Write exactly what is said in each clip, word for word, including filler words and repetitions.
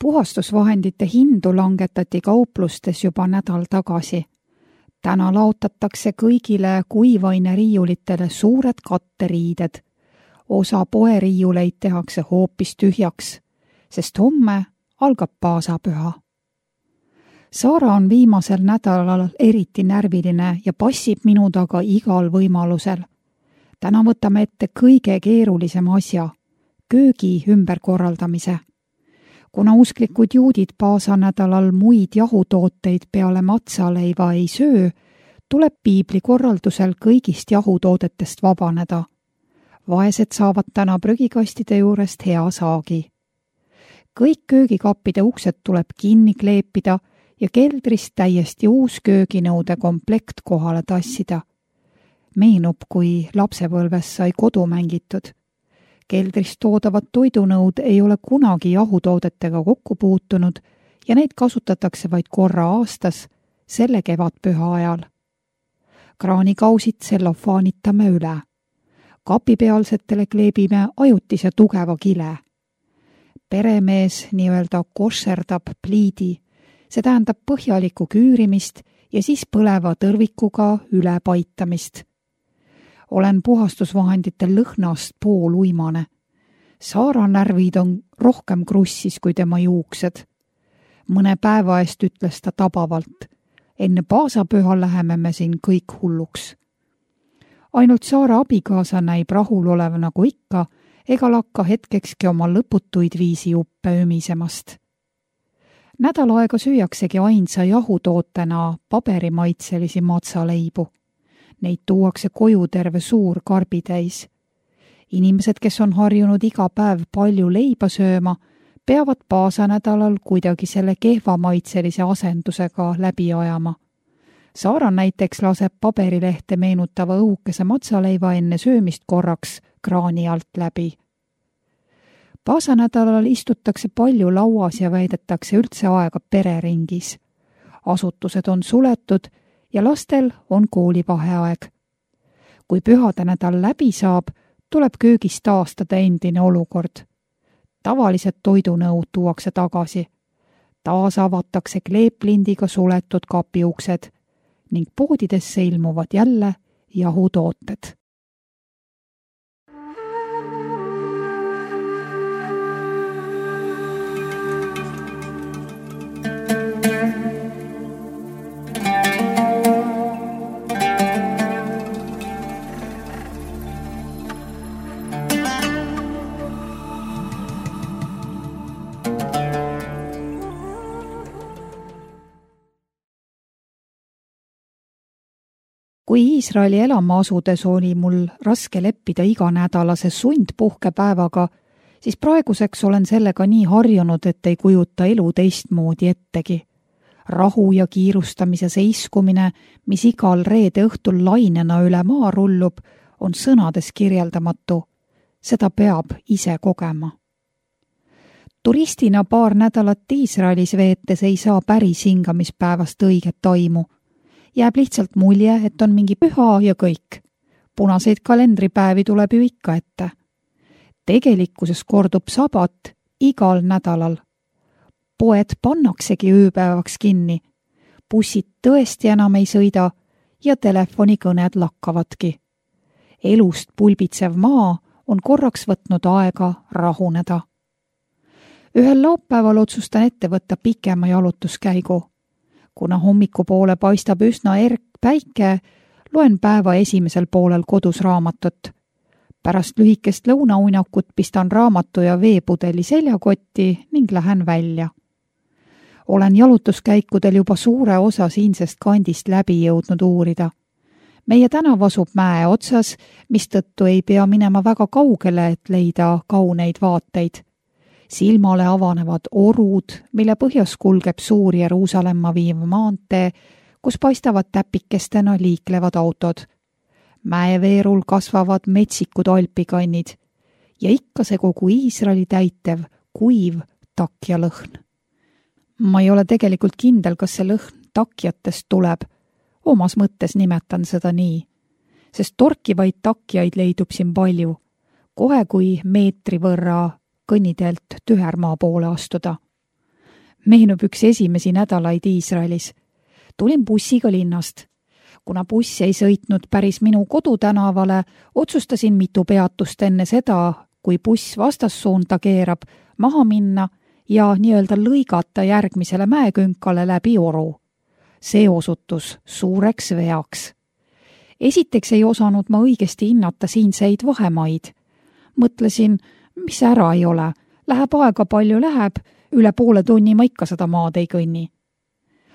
Puhastusvahendite hindu langetati kauplustes juba nädal tagasi. Täna laotatakse kõigile kuivaine riiulitele suured katteriided. Osa poeriiuleid tehakse hoopis tühjaks, sest homme algab paasapüha. Saara on viimasel nädalal eriti närviline ja passib minu taga igal võimalusel. Täna võtame ette kõige keerulisem asja, köögi ümberkorraldamise. Kuna usklikud juudid paasanädalal muid jahutooteid peale matsaleiva ei söö, tuleb piibli korraldusel kõigist jahutoodetest vabaneda. Vaesed saavad täna prügikastide juurest hea saagi. Kõik köögikappide uksed tuleb kinni kleepida ja keldrist täiesti uus kööginõude komplekt kohale tassida. Meenub, kui lapsepõlves sai kodu mängitud. Keldrist toodavad toidunõud ei ole kunagi jahutoodetega kokku puutunud ja neid kasutatakse vaid korra aastas, selle kevadpüha ajal. Kraanikausid sellofaanitame üle. Kapipealsetele kleebime ajutise tugeva kile. Peremees nii-öelda košerdab pliidi, see tähendab põhjalikku küürimist ja siis põleva tõrvikuga üle paitamist. Olen puhastusvahendite lõhnast pool uimane. Saara närvid on rohkem krussis kui tema juuksed. Mõne päeva eest ütles ta tabavalt. Enne paasapüha läheme me siin kõik hulluks. Ainult Saara abikaasa näib rahul olev nagu ikka, ega lakka hetkekski oma lõputuid viisi juppe ümisemast. Nädal aega süüaksegi ainsa jahutootena paberimaitselisi matsaleibu. Neid tuuakse koju terve suur karbitäis. Inimesed, kes on harjunud iga päev palju leiba sööma, peavad paasanädalal kuidagi selle kehvamaitselise asendusega läbi ajama. Saara näiteks laseb paberilehte meenutava õhukese matsaleiva enne söömist korraks kraani alt läbi. Paasanädalal istutakse palju lauas ja väidetakse üldse aega pereringis. Asutused on suletud ja lastel on koolivaheaeg. Kui pühade nädal läbi saab, tuleb köögis taastada endine olukord. Tavalised toidunõud tuuakse tagasi. Taas avatakse kleeplindiga suletud kapiuksed ning poodidesse ilmuvad jälle jahutooted. Kui Iisraeli elama asudes oli mul raske leppida iganädalase sundpuhkepäevaga, siis praeguseks olen sellega nii harjunud, et ei kujuta elu teistmoodi ettegi. Rahu ja kiirustamise seiskumine, mis igal reede õhtul lainena üle maa rullub, on sõnades kirjeldamatu. Seda peab ise kogema. Turistina paar nädalat Iisraelis veetes ei saa päris hingamispäevast õiget taimu. Jääb lihtsalt mulje, et on mingi püha ja kõik. Punaseid kalendripäevi tuleb ju ikka ette. Tegelikkuses kordub sabat igal nädalal. Poed pannaksegi ööpäevaks kinni. Bussid tõesti enam ei sõida ja telefonikõned lakkavadki. Elust pulbitsev maa on korraks võtnud aega rahuneda. Ühel laupäeval otsustan ette võtta pikema jalutuskäigu. Kuna hommikupoole paistab üsna erk päike, loen päeva esimesel poolel kodus raamatut. Pärast lühikest lõunauinakut pistan raamatu ja veepudeli seljakotti ning lähen välja. Olen jalutuskäikudel juba suure osa siinsest kandist läbi jõudnud uurida. Meie tänav asub mäe otsas, mistõttu ei pea minema väga kaugele, et leida kauneid vaateid. Silmale avanevad orud, mille põhjas kulgeb suur Jeruusalemma viiv maantee, kus paistavad täpikestena liiklevad autod. Mäeveerul kasvavad metsikud alpikannid ja ikka see kogu Iisraeli täitev, kuiv takja lõhn. Ma ei ole tegelikult kindel, kas see lõhn takjatest tuleb. Omas mõttes nimetan seda nii, sest torkivaid takjaid leidub siin palju. Kohe kui meetri võrra kõnniteelt tühermaa poole astuda. Meenub üks esimesi nädalaid Iisraelis. Tulin bussiga linnast. Kuna buss ei sõitnud päris minu kodutänavale, otsustasin mitu peatust enne seda, kui buss vastassuunda keerab, maha minna ja nii-öelda lõigata järgmisele mäekünkale läbi oru. See osutus suureks veaks. Esiteks ei osanud ma õigesti hinnata siinseid vahemaid. Mõtlesin, mis ära ei ole, läheb aega palju läheb, üle poole tunni ma ikka seda maad ei kõnni.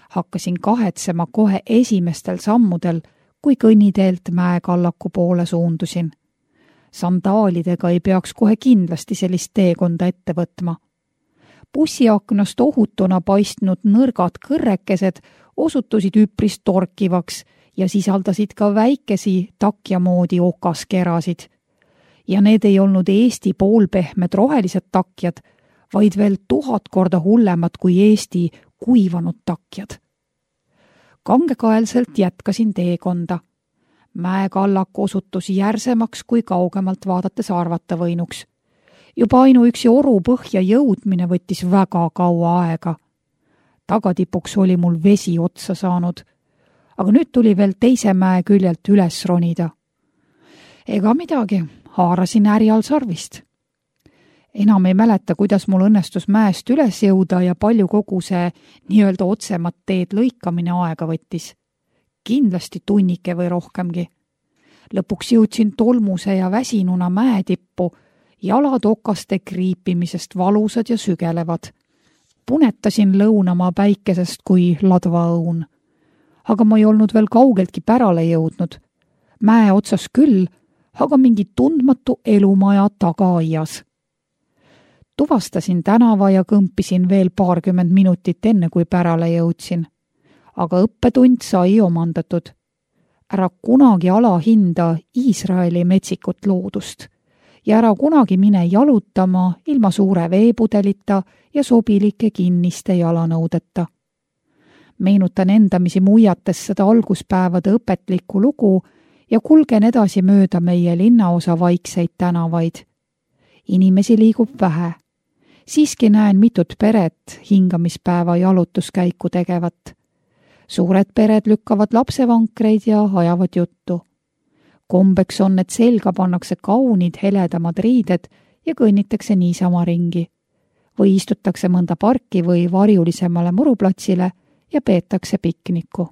Hakkasin kahetsema kohe esimestel sammudel, kui kõnniteelt mäekallaku poole suundusin. Sandaalidega ei peaks kohe kindlasti sellist teekonda ette võtma. Bussiaknast ohutuna paistnud nõrgad kõrrekesed osutusid üpris torkivaks ja sisaldasid ka väikesi takja moodi okaskerasid. Ja need ei olnud Eesti poolpehmed rohelised takjad, vaid veel tuhat korda hullemad kui Eesti kuivanud takjad. Kangekaelselt jätkasin teekonda. Mäekallak osutus järsemaks kui kaugemalt vaadates arvata võinuks. Juba ainuüksi oru põhja jõudmine võttis väga kaua aega. Tagatipuks oli mul vesi otsa saanud, aga nüüd tuli veel teise mäe küljelt üles ronida. Ega midagi, haarasin äärial sarvist. Enam ei mäleta, kuidas mul õnnestus mäest üles jõuda ja palju kogu see nii-öelda otsemat teed lõikamine aega võttis. Kindlasti tunnike või rohkemgi. Lõpuks jõudsin tolmuse ja väsinuna mäetippu, jalad okaste kriipimisest valusad ja sügelevad. Punetasin lõunamaa päikesest kui ladvaõun. Aga ma ei olnud veel kaugeltki pärale jõudnud. Mäe otsas küll, aga mingi tundmatu elumaja tagaaias. Tuvastasin tänava ja kõmpisin veel paarkümmend minutit enne, kui pärale jõudsin. Aga õppetund sai omandatud. Ära kunagi alahinda Iisraeli metsikut loodust ja ära kunagi mine jalutama ilma suure veepudelita ja sobilike kinniste jalanõudeta. Meenutan endamisi muiates seda alguspäevade õpetlikku lugu ja kulgen edasi mööda meie linnaosa vaikseid tänavaid. Inimesi liigub vähe. Siiski näen mitut peret hingamispäeva jalutuskäiku tegevat. Suured pered lükkavad lapsevankreid ja ajavad juttu. Kombeks on, et selga pannakse kaunid heledamad riided ja kõnnitakse niisama ringi. Või istutakse mõnda parki või varjulisemale muruplatsile ja peetakse pikniku.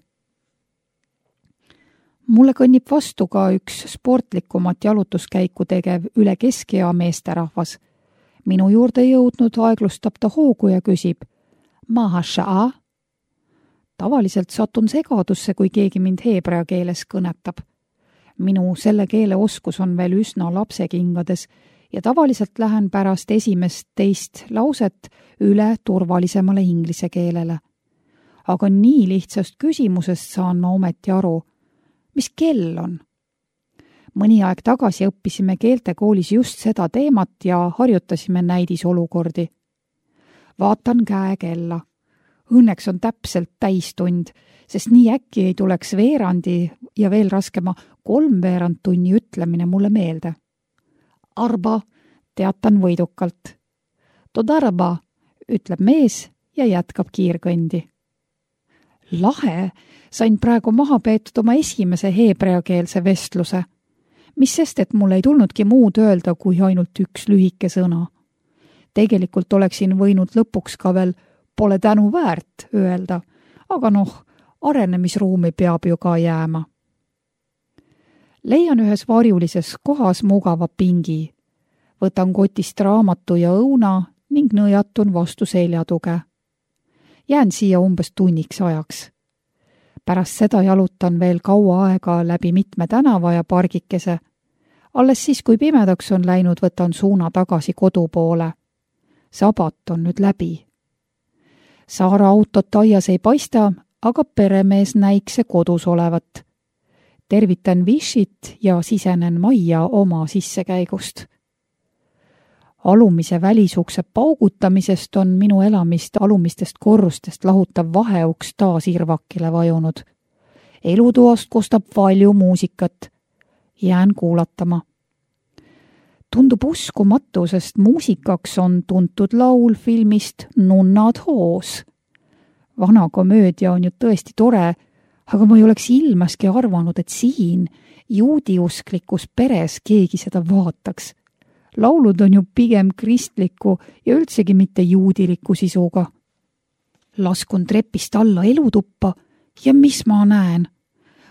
Mulle kõnnib vastu ka üks sportlikumat jalutuskäiku tegev üle keskea meesterahvas. Minu juurde jõudnud aeglustab ta hoogu ja küsib, Maha sha'a? Tavaliselt satun segadusse, kui keegi mind heebrea keeles kõnetab. Minu selle keele oskus on veel üsna lapsekingades ja tavaliselt lähen pärast esimest teist lauset üle turvalisemale inglise keelele. Aga nii lihtsast küsimusest saan ma ometi aru, mis kell on. Mõni aeg tagasi õppisime keeltekoolis just seda teemat ja harjutasime näidisolukordi. Vaatan käekella. Õnneks on täpselt täistund, sest nii äkki ei tuleks veerandi ja veel raskema kolmveerand tunni ütlemine mulle meelde. Arba, teatan võidukalt. Todarba, ütleb mees ja jätkab kiirkõndi. Lahe, sain praegu maha peetud oma esimese heebreakeelse vestluse. Mis sest, et mul ei tulnudki muud öelda kui ainult üks lühike sõna. Tegelikult oleksin võinud lõpuks ka veel pole tänu väärt öelda, aga noh, arenemisruumi peab ju ka jääma. Leian ühes varjulises kohas mugava pingi. Võtan kotist raamatu ja õuna ning nõjatun vastu seljatuge. Jään siia umbes tunniks ajaks. Pärast seda jalutan veel kaua aega läbi mitme tänava ja pargikese. Alles siis, kui pimedaks on läinud, võtan suuna tagasi kodu poole. Sabat on nüüd läbi. Saara autot aias ei paista, aga peremees näikse kodus olevat. Tervitan Vishit ja sisenen majja oma sissekäigust. Alumise välisukse paugutamisest on minu elamist alumistest korrustest lahutav vaheuks taas irvakile vajunud. Elutoast kostab palju muusikat. Jään kuulatama. Tundub uskumatu, sest muusikaks on tuntud laul filmist Nunnad hoos. Vana komöödia on ju tõesti tore, aga ma ei oleks ilmaski arvanud, et siin juudiusklikus peres keegi seda vaataks. Laulud on ju pigem kristliku ja üldsegi mitte juudiliku sisuga. Laskun trepist alla elutuppa ja mis ma näen?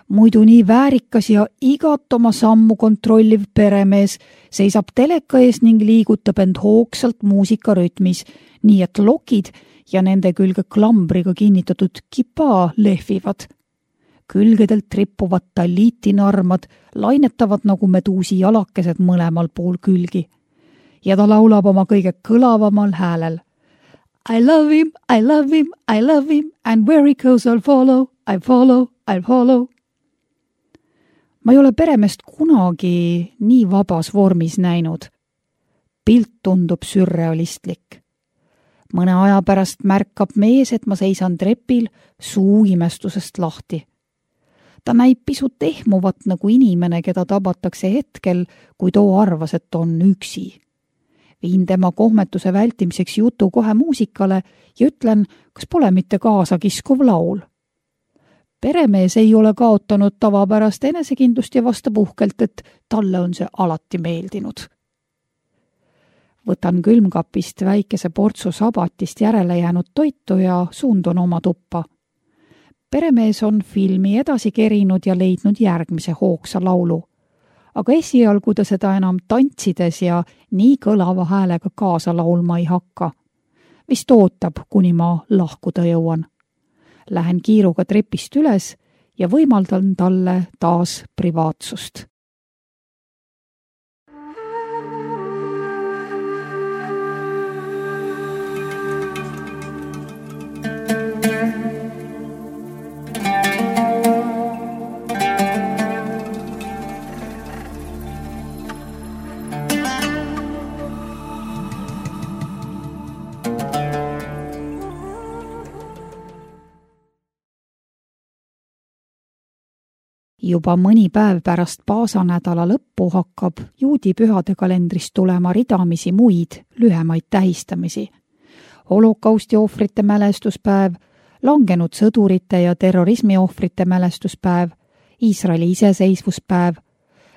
Muidu nii väärikas ja igat oma sammu kontrolliv peremees seisab teleka ees ning liigutab end hoogsalt muusikarütmis, nii et lokid ja nende külge klambriga kinnitatud kipa lehvivad. Külgedelt rippuvad talliitinarmad lainetavad nagu meduusi jalakesed mõlemal pool külgi. Ja ta laulab oma kõige kõlavamal häälel. I love him, I love him, I love him, and where he goes I'll follow, I follow, I'll follow. Ma ei ole peremeest kunagi nii vabas vormis näinud. Pilt tundub sürrealistlik. Mõne aja pärast märkab mees, et ma seisan trepil suu imestusest lahti. Ta näib pisut ehmuvat nagu inimene, keda tabatakse hetkel, kui too arvas, et on üksi. Viin tema kohmetuse vältimiseks jutu kohe muusikale ja ütlen, kas pole mitte kaasa kiskuv laul. Peremees ei ole kaotanud tavapärast enesekindlust ja vastab uhkelt, et talle on see alati meeldinud. Võtan külmkapist väikese portsu sabatist järele jäänud toitu ja suundun oma tuppa. Peremees on filmi edasi kerinud ja leidnud järgmise hoogsa laulu. Aga esialgu ta seda enam tantsides ja nii kõlava häälega kaasa laulma ei hakka. Vist ootab, kuni ma lahkuda jõuan. Lähen kiiruga trepist üles ja võimaldan talle taas privaatsust. Juba mõni päev pärast paasanädala lõppu hakkab juudi pühade kalendrist tulema ridamisi muid lühemaid tähistamisi. Holokausti ohvrite mälestuspäev, langenud sõdurite ja terrorismi ohvrite mälestuspäev, Iisraeli iseseisvuspäev,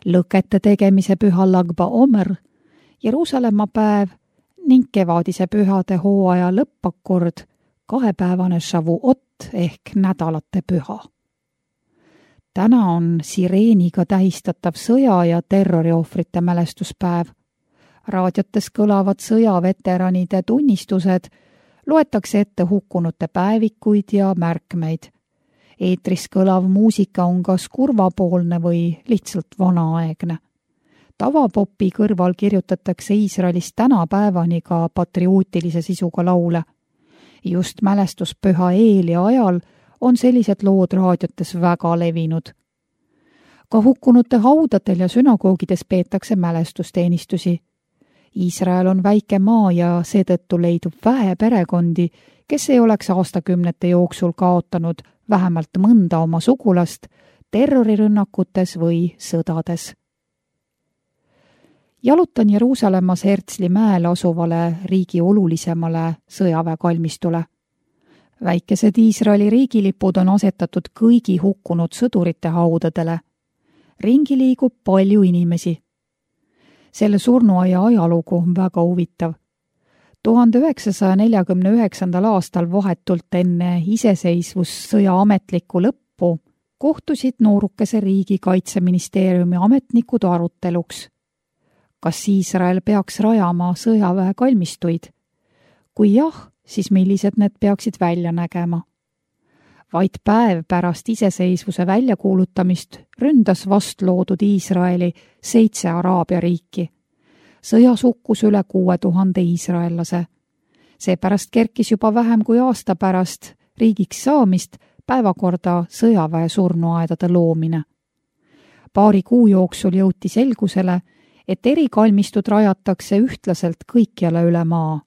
lõkete tegemise püha Lag BaOmer, Jeruusalemma päev ning kevadise pühade hooaja lõppakord, kahepäevane Shavuot ehk nädalate püha. Täna on sireeniga tähistatav sõja- ja terroriohvrite mälestuspäev. Raadiotes kõlavad sõjaveteranide tunnistused, loetakse ette hukkunute päevikuid ja märkmeid. Eetris kõlav muusika on kas kurvapoolne või lihtsalt vanaaegne. Tavapopi kõrval kirjutatakse Iisraelis tänapäevani ka patriootilise sisuga laule. Just mälestuspüha eel ja ajal on sellised lood raadiotes väga levinud. Ka hukkunute haudadel ja sünagoogides peetakse mälestusteenistusi. Iisrael on väike maa ja seetõttu leidub vähe perekondi, kes ei oleks aastakümnete jooksul kaotanud vähemalt mõnda oma sugulast terrorirünnakutes või sõdades. Jalutan Jeruusalemmas Herzli mäel asuvale riigi olulisemale sõjaväekalmistule. Väikesed Iisraeli riigilipud on asetatud kõigi hukkunud sõdurite haudadele. Ringi liigub palju inimesi. Selle surnuaia ajalugu on väga huvitav. tuhande üheksasaja neljakümne üheksandal aastal vahetult enne iseseisvussõja ametlikku lõppu kohtusid noorukese riigi kaitseministeeriumi ametnikud aruteluks. Kas Iisrael peaks rajama sõjaväekalmistuid? Kui jah, siis millised need peaksid välja nägema? Vaid päev pärast iseseisvuse väljakuulutamist ründas vastloodud Iisraeli seitse Araabia riiki. Sõjas hukkus üle kuue tuhande iisraellase. Seepärast kerkis juba vähem kui aasta pärast riigiks saamist päevakorda sõjaväe surnuaedade loomine. Paari kuu jooksul jõuti selgusele, et erikalmistud rajatakse ühtlaselt kõikjale üle maa.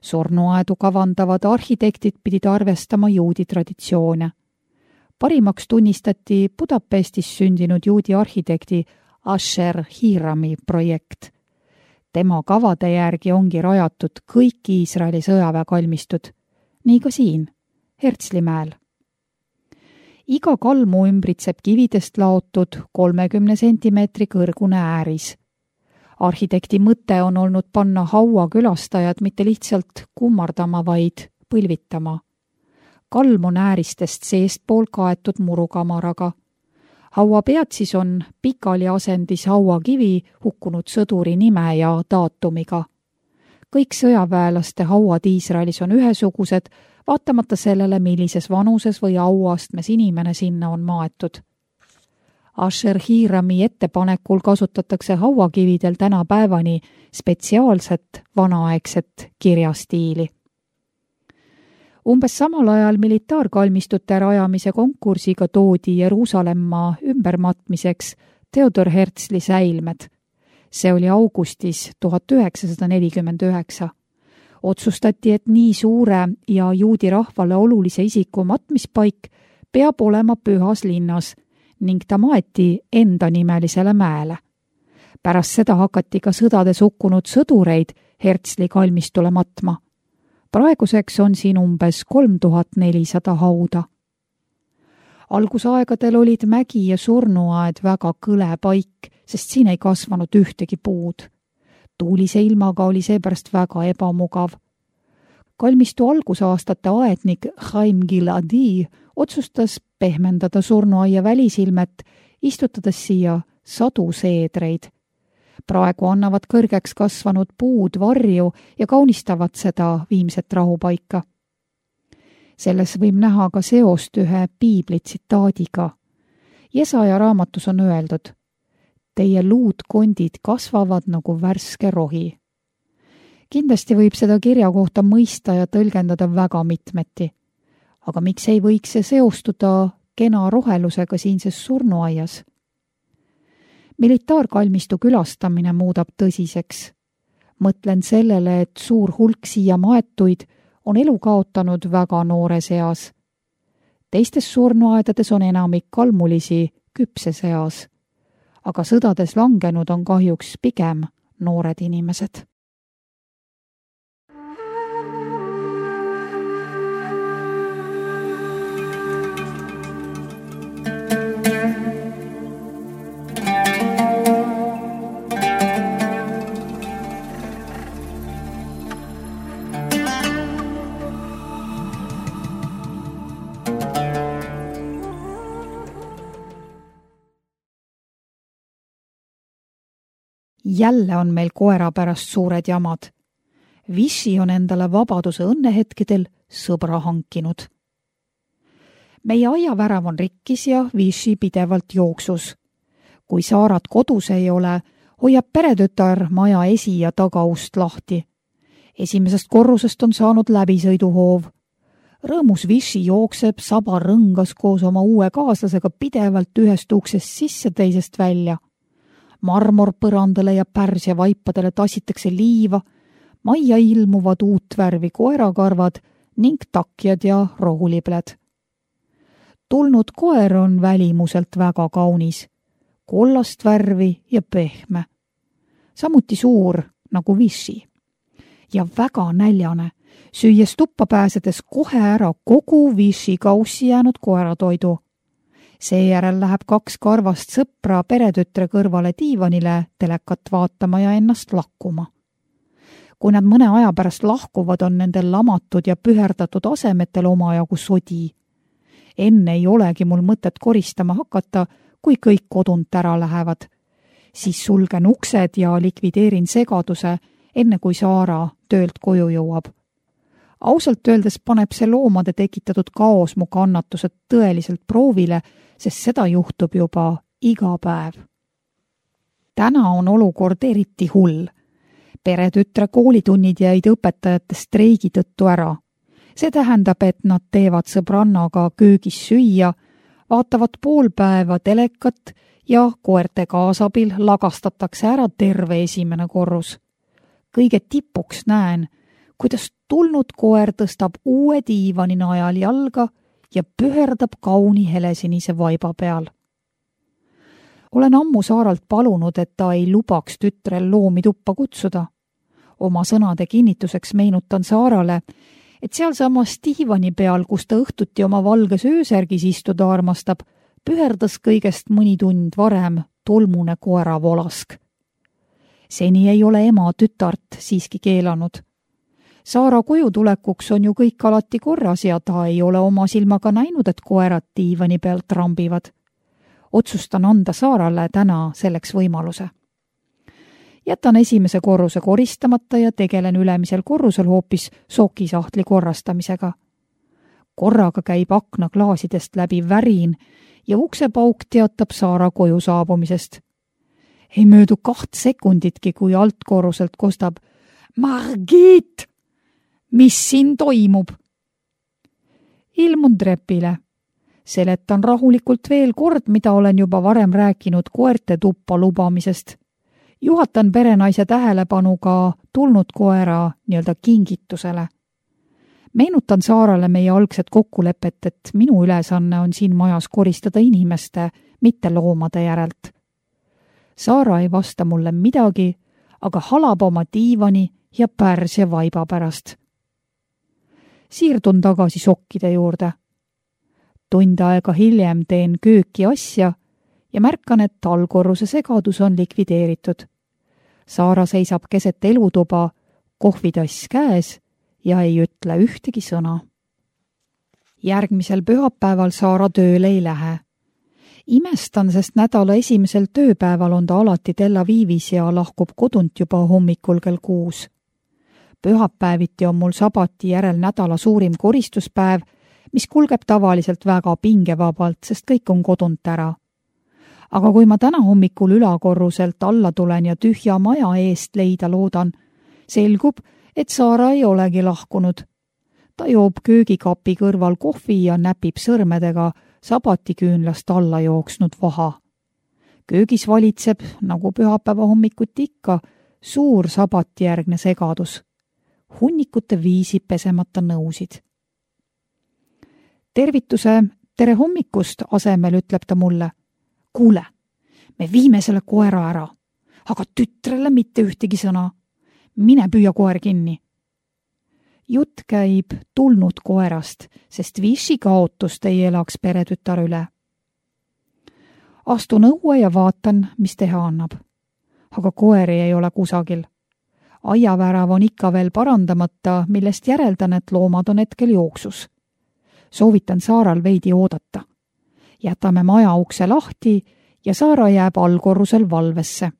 Surnuaedu kavandavad arhitektid pidid arvestama juudi traditsioone. Parimaks tunnistati Budapestis sündinud juudi arhitekti Asher Hirami projekt. Tema kavade järgi ongi rajatud kõik Iisraeli sõjaväekalmistud, nii ka siin, Hertslimäel. Iga kalmu ümbritseb kividest laotud kolmekümne sentimeetri kõrgune ääris. Arhitekti mõte on olnud panna haua külastajad mitte lihtsalt kummardama, vaid põlvitama. Kalm on ääristest seestpool kaetud murukamaraga. Haua peatsis on pikali asendis hauakivi hukkunud sõduri nime ja daatumiga. Kõik sõjaväelaste hauad Iisraelis on ühesugused, vaatamata sellele, millises vanuses või auastmes inimene sinna on maetud. Asher Hirami ettepanekul kasutatakse hauakividel tänapäevani spetsiaalset vanaaegset kirjastiili. Umbes samal ajal militaarkalmistute rajamise konkursiga toodi Jeruusalemma ümbermatmiseks Theodor Herzli säilmed. See oli augustis tuhat üheksasada nelikümmend üheksa. Otsustati, et nii suure ja juudi rahvale olulise isiku matmispaik peab olema pühas linnas ning ta maeti enda nimelisele mäele. Pärast seda hakati ka sõdades hukkunud sõdureid Herzli kalmistule matma. Praeguseks on siin umbes kolm tuhat nelisada hauda. Algusaegadel olid mägi ja surnuaed väga kõle paik, sest siin ei kasvanud ühtegi puud. Tuulise ilmaga oli seepärast väga ebamugav. Kalmistu algusaastate aednik Chaim Giladi otsustas pehmendada surnuaia välisilmet, istutades siia sadu seedreid. Praegu annavad kõrgeks kasvanud puud varju ja kaunistavad seda viimset rahupaika. Selles võib näha ka seost ühe piibli tsitaadiga. Jesaja raamatus on öeldud: teie luudkondid kasvavad nagu värske rohi. Kindlasti võib seda kirja kohta mõista ja tõlgendada väga mitmeti. Aga miks ei võiks see seostuda kena rohelusega siinses surnuaias? Militaarkalmistu külastamine muudab tõsiseks. Mõtlen sellele, et suur hulk siia maetuid on elu kaotanud väga noores eas. Teistes surnuaedades on enamik kalmulisi küpses eas, aga sõdades langenud on kahjuks pigem noored inimesed. Jälle on meil koera pärast suured jamad. Vichy on endale vabaduse õnnehetkedel sõbra hankinud. Meie aiavärav on rikkis ja Vichy pidevalt jooksus. Kui Saarat kodus ei ole, hoiab peretütar maja esi- ja tagaust lahti. Esimesest korrusest on saanud läbisõiduhoov. Rõõmus Vichy jookseb, saba rõngas koos oma uue kaaslasega pidevalt ühest uksest sisse, teisest välja. Marmorpõrandale ja Pärsia vaipadele tassitakse liiva, majja ilmuvad uut värvi koerakarvad ning takjad ja rohulibled. Tulnud koer on välimuselt väga kaunis, kollast värvi ja pehme. Samuti suur nagu Vichy. Ja väga näljane, süües tuppa pääsedes kohe ära kogu Vichy kaussi jäänud koeratoidu. Seejärel läheb kaks karvast sõpra peretütre kõrvale diivanile telekat vaatama ja ennast lakkuma. Kui nad mõne aja pärast lahkuvad, on nendel lamatud ja püherdatud asemetel omajagu sodi. Enne ei olegi mul mõtet koristama hakata, kui kõik kodunt ära lähevad. Siis sulgen uksed ja likvideerin segaduse, enne kui Saara töölt koju jõuab. Ausalt öeldes paneb see loomade tekitatud kaos mu kannatused tõeliselt proovile, sest seda juhtub juba iga päev. Täna on olukord eriti hull. Peretütre koolitunnid jäid õpetajate streigi tõttu ära. See tähendab, et nad teevad sõbrannaga köögis süüa, vaatavad pool päeva telekat ja koerte kaasabil lagastatakse ära terve esimene korrus. Kõige tipuks näen, kuidas tulnud koer tõstab uue diivani najal jalga ja püherdab kauni helesinise vaiba peal. Olen ammu Saaralt palunud, et ta ei lubaks tütrel loomi tuppa kutsuda. Oma sõnade kinnituseks meenutan Saarale, et sealsamas diivani peal, kus ta õhtuti oma valges öösärgis istuda armastab, püherdas kõigest mõni tund varem tolmune koera volask. Seni ei ole ema tütart siiski keelanud. Saara koju tulekuks on ju kõik alati korras ja ta ei ole oma silmaga näinud, et koerad diivani pealt trambivad. Otsustan anda Saarale täna selleks võimaluse. Jätan esimese korruse koristamata ja tegelen ülemisel korrusel hoopis sookisahtli korrastamisega. Korraga käib akna klaasidest läbi värin ja uksepauk teatab Saara koju saabumisest. Ei möödu kaht sekunditki, kui altkorruselt kostab Margit! Mis siin toimub? Ilmun trepile. Seletan rahulikult veel kord, mida olen juba varem rääkinud koerte tuppa lubamisest. Juhatan perenaise tähelepanu ka tulnud koera nii-öelda kingitusele. Meenutan Saarale meie algset kokkulepet, et minu ülesanne on siin majas koristada inimeste, mitte loomade järelt. Saara ei vasta mulle midagi, aga halab oma diivani ja pärsia vaiba pärast. Siirdun tagasi sokkide juurde. Tund aega hiljem teen kööki asja ja märkan, et allkorruse segadus on likvideeritud. Saara seisab keset elutuba, kohvitass käes ja ei ütle ühtegi sõna. Järgmisel pühapäeval Saara tööle ei lähe. Imestan, sest nädala esimesel tööpäeval on ta alati Tel Avivis ja lahkub kodunt juba hommikul kell kuus. Pühapäeviti on mul sabati järel nädala suurim koristuspäev, mis kulgeb tavaliselt väga pingevabalt, sest kõik on kodunt ära. Aga kui ma täna hommikul ülakorruselt alla tulen ja tühja maja eest leida loodan, selgub, et Saara ei olegi lahkunud. Ta joob köögikapi kõrval kohvi ja näpib sõrmedega sabatiküünlast alla jooksnud vaha. Köögis valitseb, nagu pühapäeva hommikuti ikka, suur sabatijärgne segadus. Hunnikute viisi pesemata nõusid. Tervituse tere hommikust asemel ütleb ta mulle. Kuule, me viime selle koera ära, aga tütrele mitte ühtegi sõna. Mine püüa koer kinni. Jutt käib tulnud koerast, sest Vichy kaotust ei elaks peretütar üle. Astun õue ja vaatan, mis teha annab. Aga koeri ei ole kusagil. Aiavärav on ikka veel parandamata, millest järeldan, et loomad on hetkel jooksus. Soovitan Saaral veidi oodata. Jätame maja ukse lahti ja Saara jääb allkorrusel valvesse.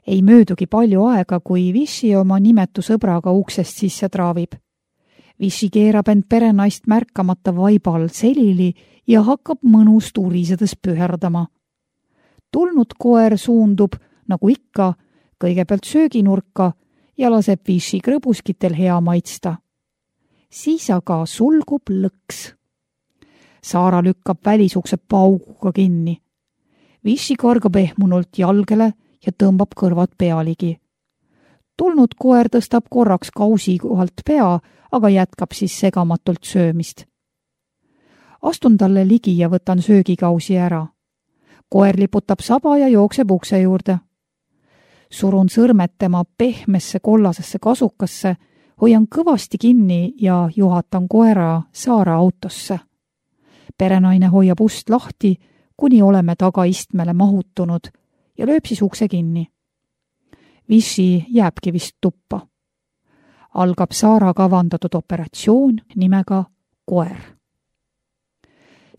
Ei möödugi palju aega, kui Vichy oma nimetu sõbraga uksest sisse traavib. Vichy keerab end perenaist märkamata vaibal selili ja hakkab mõnus turisedes püherdama. Tulnud koer suundub, nagu ikka, kõigepealt sööginurka ja laseb Vichy krõbuskitel hea maitsta. Siis aga sulgub lõks. Saara lükkab välisukse pauguga kinni. Vichy kargab ehmunult jalgele ja tõmbab kõrvad pealigi. Tulnud koer tõstab korraks kausi kohalt pea, aga jätkab siis segamatult söömist. Astun talle ligi ja võtan söögikausi ära. Koer liputab saba ja jookseb ukse juurde. Surun sõrmed tema pehmesse kollasesse kasukasse, hoian kõvasti kinni ja juhatan koera Saara autosse. Perenaine hoiab ust lahti, kuni oleme tagaistmele mahutunud ja lööb siis ukse kinni. Vichy jääbki vist tuppa. Algab Saara kavandatud operatsioon nimega koer.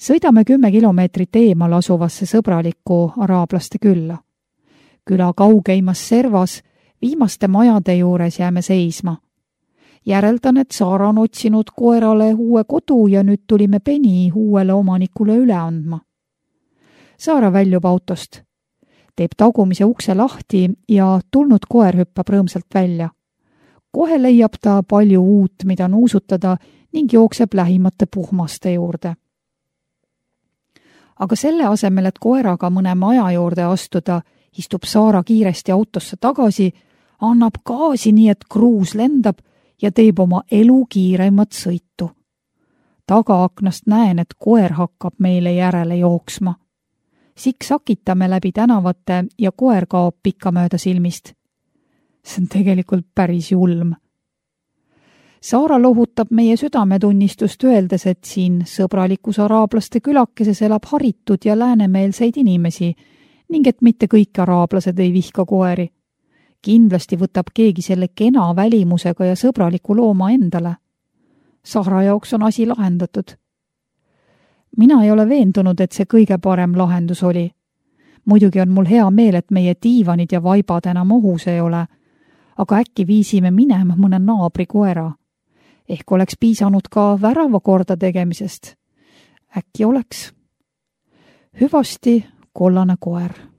Sõidame kümme kilomeetrit eemal asuvasse sõbralikku araablaste külla. Küla kaugeimas servas, viimaste majade juures jääme seisma. Järeldan, et Saara on otsinud koerale uue kodu ja nüüd tulime peni uuele omanikule üle andma. Saara väljub autost. Teeb tagumise ukse lahti ja tulnud koer hüppab rõõmsalt välja. Kohe leiab ta palju uut, mida nuusutada ning jookseb lähimate puhmaste juurde. Aga selle asemel, et koeraga mõne maja juurde astuda, istub Saara kiiresti autosse tagasi, annab gaasi nii, et kruus lendab ja teeb oma elu kiireimat sõitu. Tagaaknast näen, et koer hakkab meile järele jooksma. Siksakitame läbi tänavate ja koer kaob pikka mööda silmist. See on tegelikult päris julm. Saara lohutab meie südametunnistust öeldes, et siin sõbralikus araablaste külakeses elab haritud ja läänemeelseid inimesi ning et mitte kõik araablased ei vihka koeri. Kindlasti võtab keegi selle kena välimusega ja sõbraliku looma endale. Saara jaoks on asi lahendatud. Mina ei ole veendunud, et see kõige parem lahendus oli. Muidugi on mul hea meel, et meie diivanid ja vaibad enam ohus ei ole, aga äkki viisime minema mõne naabri koera. Ehk oleks piisanud ka värava korda tegemisest. Äkki oleks. Hüvasti, kollane koer.